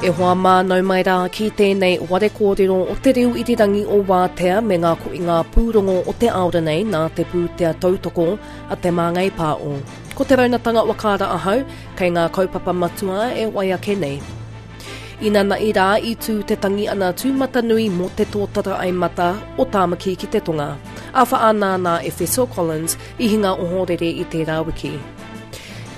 E hoa mā, nau mai rā ki tēnei ware kōrero o te reo irirangi o Wātea me ngā koinga pūrongo o te aora nei nā te pūtea tautoko a Te Māngai Pāo. Ko Te Raunatanga Wakaara ahau, kei ngā kaupapa matua e wai ake nei. Inanahi rā i tū te tangi ana tūmatanui mō te tōtara ai mata o Tāmaki ki te Tonga. A whaanānā Efeso Collins i hinga ohorere i tērā wiki.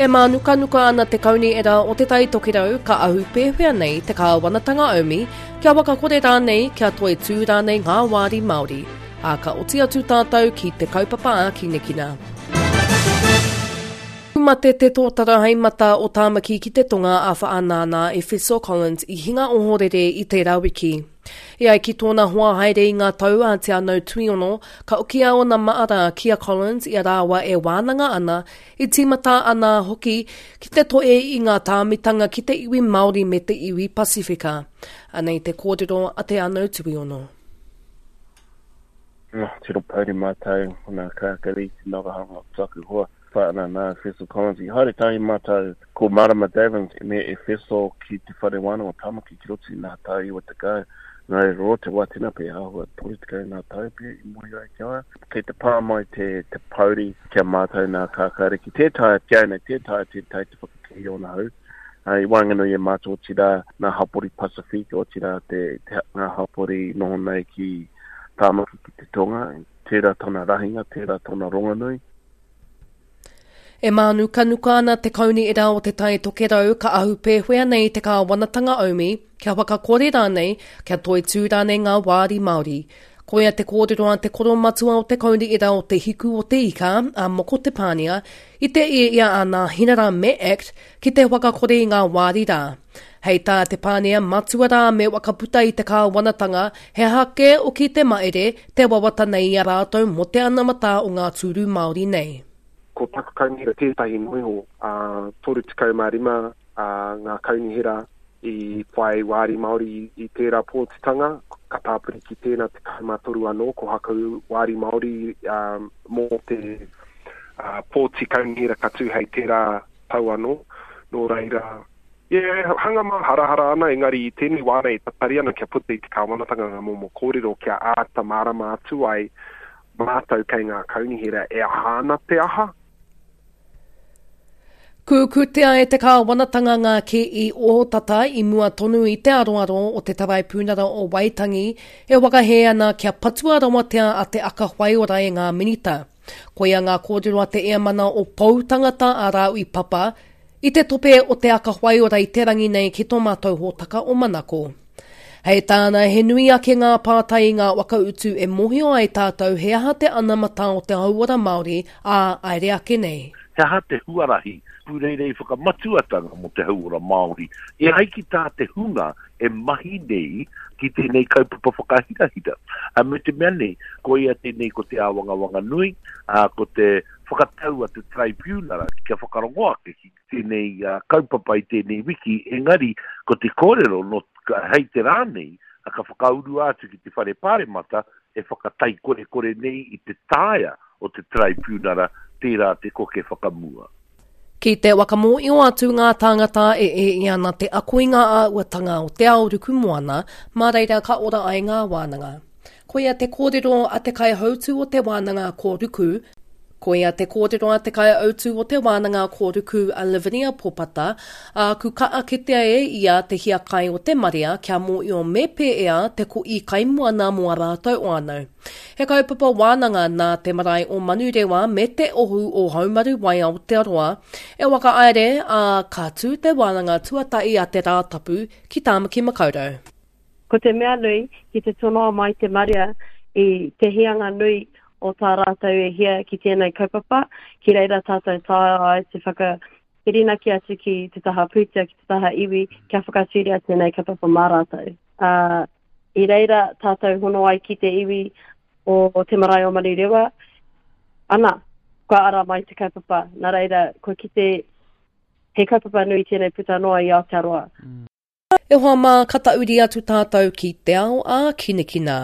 E mānukanuka ana te kaunihera o Te Tai Tokerau ka ahu pēwhea nei te kāwanatanga aumi, kia whakakore rānei, kia toitū rānei ngā wāri Māori. Ā, ka oti atu tātou ki te kaupapa ākinakina. Mate te tōtara hei mata o Tāmaki ki te Tonga a Whaanānā Efeso Collins i hinga ohorere i tērā wiki. E ai ki tōna hoa haere i ngā tau a Te Anau Tuiono, ka okia ōna maara ki a Collins i a rāua e wānanga ana, i tīmata ana hoki ki te toe i ngā tāmitanga ki te iwi Māori me te iwi Pasifika. Anei te kōrero a Te Anau Tuiono. Tino pouri mātou, nā Kākari, te nagahanga o taku hoa. Whāna nā Efeso Collins. I haere tahi mātou ko Marama Davins me Efeso ki te Whare Wānanga o Tamaki ki roto i ngā tau 90. Nā reira roa te wā tēnā pea āhua 30 ngā tau pea i moe ai ki a ia. Kei te pā mai te, te pouri ki a mātou nā Kākāriki. Tē taea ki au nei, tē taea tētahi te whakakī i ōna hau. I waenganui e mātou otirā ngā hapori Pasifika, otirā te, te, ngā hapori noho nei ki Tāmaki ki te tonga. Tērā tōna rahinga, tērā tōna rongonui. E mānukanuka ana te Kaunihera o Te Tai Tokerau ka ahu pēwhea nei te kāwanatanga aumi, kia whakakore rānei, kia toitū rānei ngā wāri Māori. Koia te kōrero a te koromatua o te Kaunihera o Te Hiku o Te Ika, a Moko Te Pānia, i te ia a Nāhinara me act ki te whakakore i ngā wāri rā. Hei tā Te Pānia, matua rā me whakaputa i te kāwanatanga, he aha kē oki te maere, te wawata nei i a rātou mō te anamata o ngā tūru Māori nei. Ko taku kaunihera tētahi noa iho, ā, 35 ngā kaunihera i whai wāri Māori i tērā pōtitanga, ka tāpiri ki tēnā 13 anō ko Haku wāri Māori mō te pōti kaunihera ka tū hei tērā tau anō. Nō reira, yeah, hanga māharahara ana, engari i tēnei wā nei e tatari ana kia puta i te kāwanatanga ngā momo kōrero kia āta mārama atu ai mātou kei ngā kaunihera e aha ana te aha. Kūkūtea e te kāwanatanga ngā kī ohotata i mua tonu i te aroaro o te Taraipunara o Waitangi e whakahē ana kia patua rawatea a Te Aka Whaiora e ngā minita. Koia ngā kōrero a te Eamana o Pou Tangata a Rāui Papa i te tope o Te Aka Whaiora i te rangi nei ki tō mātou hōtaka o Manako. Hei tāna, he nui ake ngā pātai i ngā whakautu e mōhio ai tātou he aha te anamata o te hauora Māori ā aere ake nei. He aha te huarahi pūreirei whakamatuatanga mō te hauora Māori e ai ki tā te hunga e mahi nei ki tēnei kaupapa whakahirahira. A, me te mea nei, koia tēnei ko te āwangawanga nui, ā, ko te whakatau a te Taraipiunara kia whakarongo ake ki tēnei kaupapa i tēnei wiki, engari ko te kōrero nō, hei te rā nei, ka whakaurua atu ki te Whare Pāremata e whakataikorekore nei i te taea o te Taraipiunara tērā te koke whakamua. Ki te whakamōio atu ngā tāngata e ē ana te ako i ngā āhuatanga o te ao ruku moana, mā reira ka ora ai ngā wānanga. Koia te kōrero a te kaihautū o te wānanga ko Ruku, Koia te kōrero a te kaihautū o te wānanga ko Ruku a Lavinia Popata, ā, ku kaa kitea e ia te hiakai o te marea kia mōio me pēea te koʻi kaimoana mō a rātou whānau. He kaupapa wānanga nā te marae o Manurewa me te Ohu o Haumaru Wai Aotearoa e whakahaere, ā, ka tū te wānanga tuatahi a te Rātapu ki Tāmaki Makaurau. Ko te mea nui, ki te tonoa mai te marea i te hianga nui o tā rātou e hia ki tēnei kaupapa, ki reira tātou taea ai te whakawhirinaki atu ki te taha pūtea, ki te taha iwi, kia whakatūria tēnei kaupapa mā rātou. Ā, I reira tātou hono ai ki te iwi o te marae o Manurewa, ana, kua ara mai te kaupapa, nā reira, kua kite he kaupapa nui tēnei puta noa i Aotearoa. E hoa mā, ka tauri atu tātou ki te ao ā-kinekina.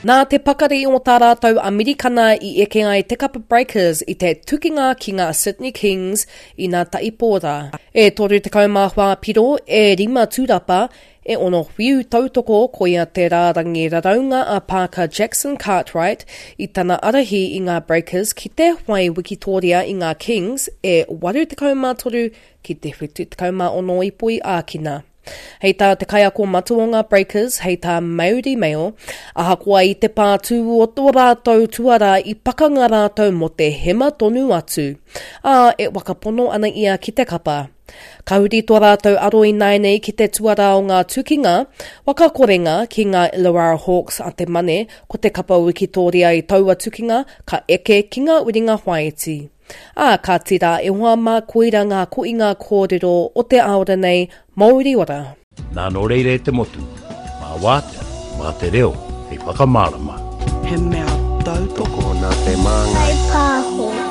Nā te pakari o tā rātou Amerikana i eke ai te kapa Breakers i te tukinga ki ngā Sydney Kings i nā taipō rā. E 34 piro, e rima tūrapa, e ono whiu tautoko koia te rārangi raraunga a Parker Jackson Cartwright i tana arahi i ngā Breakers ki te whai wikitōria i ngā Kings e 83 ki te 76 ipo i ākina. Hei tā te kaiako matua o ngā Breakers, hei tā Mauri Mail, ahakoa i te pātū o tō rātou tuarā i pakanga rātou mō te hema tonu atu, ā, e whakapono ana ia ki te kapa. Ka huri tō rātou aro ināianei ki te tuarā o ngā tukinga, waka korenga ki ngā Illawarra Hawks a te Mane, ko te kapa wikitōria i taua tukinga ka eke ki ngā uringa whāiti. Ā, kāti rā e hoa mā koira ngā koinga kōrero o te aora nei, Mauri ora! Nā nō reira e te motu, mā Wātea, mā te reo hei whakamārama. He mea tautoko nā Te Māngai. Pāho.